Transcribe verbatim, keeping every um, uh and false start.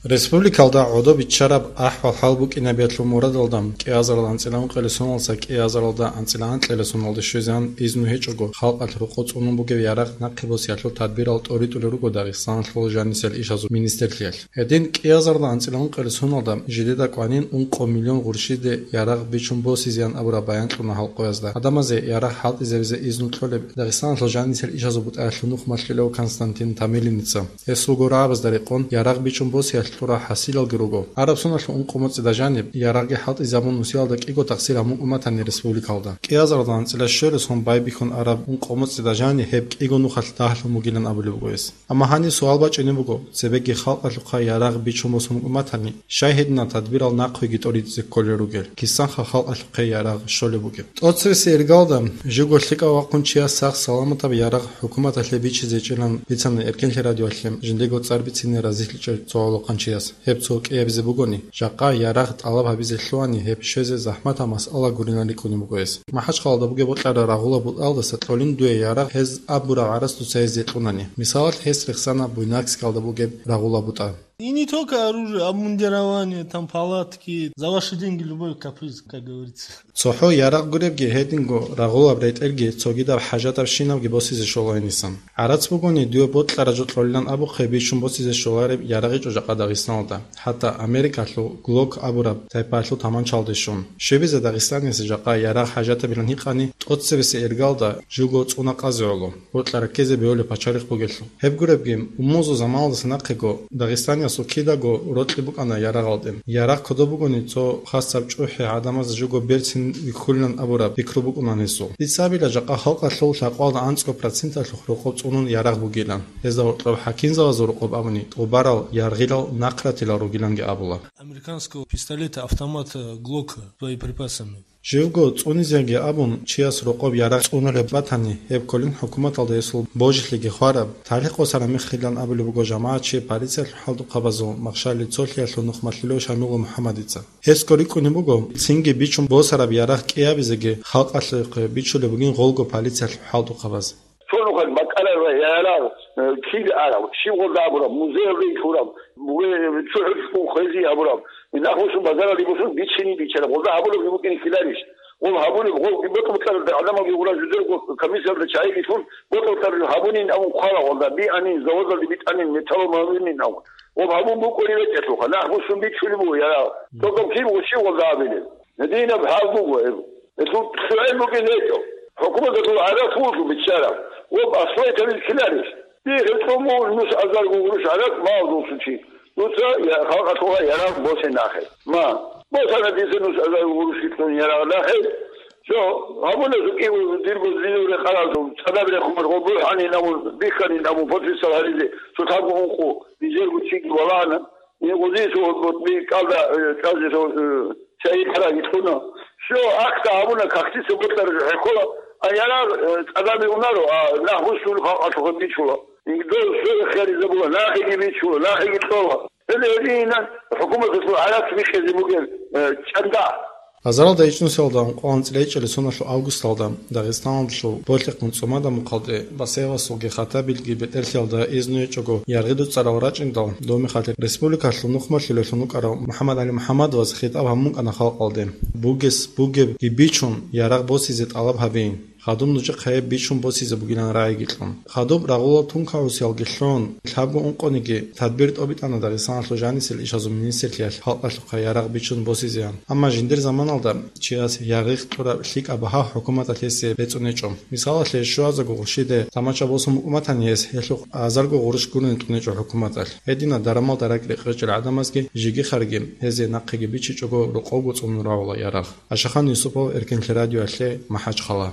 Республикалда гӀодобиччараб ахӀвал-хӀал букӀинабиялъул мурадалда кӀиазарал анцӀила ункъилесуналдаса кӀиазаралда анцӀила анкьилесуналде щвезегӀан изну гьечӀого халкъалъ рокъо цӀунун бугеб ярагъ нахъе босиялъул тадбирал тӀоритӀулел руго Дагъистаналъул жанисел ишазул министрлъиялъ. Гьедин кӀиазарда анцӀила ункъилесуналда жидеда кӀванин ункъо миллион гъурщиде ярагъ бичун босизеян абураб баян кьуна халкъоязда. Гьадамазе ярагъ хӀалтӀизабизе изну кьолеб Дагъистаналъул жанисел ишазул бутӀаялъул нухмалъулев Константин Тамилиница. Гьес вуго рагӀабазда рекъон ярагъ бичун босиялъ кьурал хӀасилалги руго. Араб соналъул ункъо моцӀида жаниб ярагъги хӀалтӀизабун нусиялда кӀиго тахсир гьабун уматани республикалда. КӀиазарда анцӀила щвересун байбихьун араб ункъо моцӀида жани гьеб кӀиго нухалъ дагьлъун бугилан абулеб буго гьес. Амма гьаниб суал бачӀунеб буго, цебеги халкъалъухъа ярагъ бичун босун уматани, щай гьединал тадбирал нахъвиги тӀоритӀизе кколел ругел, кисанха халкъалъухъе ярагъ щолеб бугеб. ТӀоцебесеб иргалда живго лъикӀав вахъун чияс сах-саламатаб ярагъ хӀукуматалъе бичизе чӀилан бицана Эркенлъи радиоялъе жиндего цӀар бицине разилъичӀев цо гӀолохъанчияс. Гьеб цо кӀиабизе бугони, жакъа ярагъ тӀалаб гьабизе лъугьани, гьеб щвезе захӀматаб масъала гурилан рикӀкӀунеб буго гьес. МахӀачхъалалда бугеб бокьараб рагъула бутӀалдаса кьолин дуе ярагъ гьез абураб гӀарац дуца гьезде кьунани. Мисалалъ, гьес рехсана Буйнакскалда бугеб рагъула бутӀа. И не только оружие, обмундирование, там палатки, за ваши деньги любой каприз, как говорится. ЦохӀо ярагъ гуребги, гьединго рагъулаб ретӀелги, цогидаб хӀажатабщинабги босизе щола гьенисан. ГӀарац бугони, дуе бокьараб жо кьолилан абухъе, бичун босизе щолареб ярагъичӀо жакъа Дагъистаналда, хӀатта Америкалъул Глок абураб тайпаялъул таманчалде щун. Щибизе Дагъистаниялъе жакъа ярагъ хӀажатабилан гьикъани, тӀоцебесеб иргалда живго цӀунахъазе гӀоло. Бокьа раккизе бегьулеб пачалихъ бугелъул. Гьеб гуребги, умумузул заманалдаса нахъего Дагъистаниялъул кидаго рокьи букӀана ярагъалде. Ярагъ кодоб бугони, цо хасаб чӀухӀи гӀадамаз живго берцин вихьулилан абураб пикру букӀуна гьесул. Дица абила, жакъа халкъалъул лъакъалда анцӀго проценталъухъ рокъоб цӀунун ярагъ бугилан. Гьезда гьоркьоб хӀакимзабазул рокъоб абуни, тӀубарал, яргъилал, нахъратилал ругиланги абула. Американского пистолета, автомата Глока с боеприпасами. Живго цӀунизеги абун, чияс рокъоб ярагъ цӀунулеб батани, гьеб кколин хӀукуматалда гьесул божилъиги хвараб, талихъ босараб мехилан абулеб буго жамагӀатчи полициялъул хӀалтӀухъабазул Махщалил цолъиялъул нухмалъулев Шамилов МухӀаммадица. Гьес кӀорикӀунеб буго, цинги бичун босараб ярагъ кӀиабизеги халкъалъухъе бичулеб бугин гъолго полициялъул хӀалтӀухъабаз. Цо нухалъ бакӀарарай ярагъ, э, кида арав, щиб гъолда абураб, музеялда итураб, бугеб, цо хӀухьун хвези абураб, нахусун базаралде босун бичине бичараб, гъолда гьабулеб букӀине ккеларищ? Гъол гьабулеб, гъол бокьаралда гӀадамалги гъура жидерго комиссиялда чагӀи битӀун, бокьаралда гьабунин абун хъвала гъолда, бианин, заводалде битӀанин, металлолъ гьабунин абун. Гъоб гьабун букӀунеб бетӀерлъуха, нахусун бичулеб буго ярагъ. Цо гьаб киб ва щиб гъолда гьабилеб? Гьединаб хӀал буго гьеб. Гьелъул лъугӀел букӀин гьечӀо. ХӀукуматалъул гӀарац вуго биччараб. Ва аслай тавил ккеларищ? Дихъе цӀумул нус азарго гъурущ гӀарац мал дулсучи. Дуца я халкъалъула ярагъ босе нахъе. Ма, босана дица нус азарго гъурущ кьун ярагъ нахъе. Жо, гьабуна жукӀи дирго динул рекъарал цадаб рехун гъо бухӀани намун, бихьани намун, подписал гьаризе, цо лъабго ункъо, нижерго чиги валагьана. Гъозиялъул гъотӀби кӀалда, э, чӀвазе, э, чагӀи параги кьуна. Всё, акта гьабуна, кахтиса бокьараб хӀехьола, а ярагъ, э, цӀадаби унаро, а нахбусул халкъалъухъе бичула. Дол всё ихтияризабула, нахиги бичула, нахиги кьола. Гьеле гьединан хӀукуматалъул гӀарац бихьизе бугеб, э, чӀанда. Азаралда ичӀнусиялда ункъоялда анцӀила ичӀалил соналъул августалда Дагъистаналдалъул Болъихъ муцӀумада мухъалде Басаевасулги Хаттабилги бетӀерлъиялда изну гьечӀого яргъи дуцӀарал рачӀиндал, доб мехалъ республикалъул нухмалъулеллъун вукӀарав МухӀаммад-ГӀали МухӀаммадовас хитӀаб гьабун букӀана халкъалде: «Бугес бугебги бичун, ярагъ босизе тӀалаб гьабейин. Хадуб нужехъе гьеб бичун босизе бугилан рагӀиги кьун». Хадуб рагъулал тункагӀусиялги лъун, лъабго ункъониги тадбир тӀобитӀана Дагъистаналъул жанисел ишазул министрлъиялъ халкъалъухъе ярагъ бичун босизеян. Амма жиндир заманалда чияс яргъихъ кьураб лъикӀаб багьа хӀукуматалъ гьесие бецӀун гьечӀо. Мисалалъе, щуазаго гъурщиде тамача босун букӀуматани гьес, гьелъухъ азарго гъурущ гурони тӀунечӀо хӀукуматалъ. Гьединал дарамалда ракӀ-рекъечӀел гӀадамазги жиги-харги гьезие нахъеги бичичӀого рокъовго цӀунун равала ярагъ. Ашахан Юсупов, Эркенлъи радиоялъе, МахӀачхъала.